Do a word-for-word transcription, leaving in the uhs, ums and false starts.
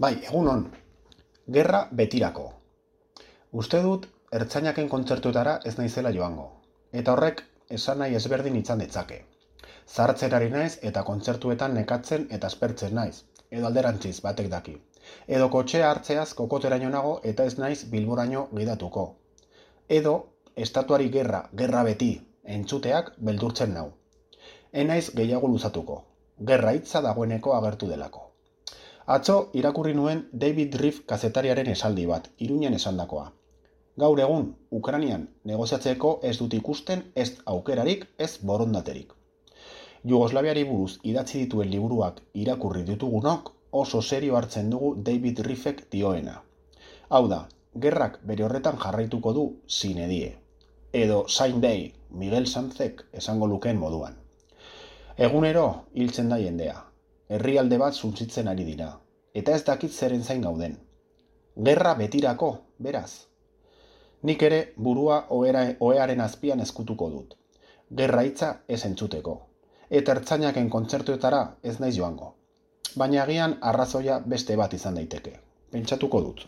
Bai, egunon, gerra betirako. Uste dut, ertzainaken kontzertuetara ez naizela joango. Eta horrek, esan nahi ezberdin izan ditzake. Zahartzerari naiz eta kontzertuetan nekatzen eta aspertzen naiz. Edo alderantziz batek daki. Edo kotxea hartzeaz kokoteraino nago eta ez naiz Bilboraino gidatuko. Edo, estatuari gerra, gerra beti, entzuteak beldurtzen nau. Ez naiz gehiago luzatuko. Gerra hitza dagoeneko agertu delako. Atzo irakurri nuen David Riff kazetariaren esaldi bat, Iruñan esandakoa. Gaur egun, Ukrainian negoziatzeko ez dut ikusten ez aukerarik, ez borondaterik. Jugoslaviari buruz idatzi dituen liburuak irakurri ditugunok oso serio hartzen dugu David Riffek dioena. Hau da, gerrak bere horretan jarraituko du sine die. Edo Saint Day, Miguel Sanzek esango lukeen moduan. Egunero hiltzen da jendea. Herrialde bat suntsitzen ari dira, eta ez dakit zeren zain gauden. Gerra betirako, beraz. Nik ere burua ohera, ohearen azpian ezkutuko dut. Gerra hitza ez entzuteko. Eta ertzainaken kontzertuetara ez naiz joango. Baina agian arrazoia beste bat izan daiteke. Pentsatuko dut.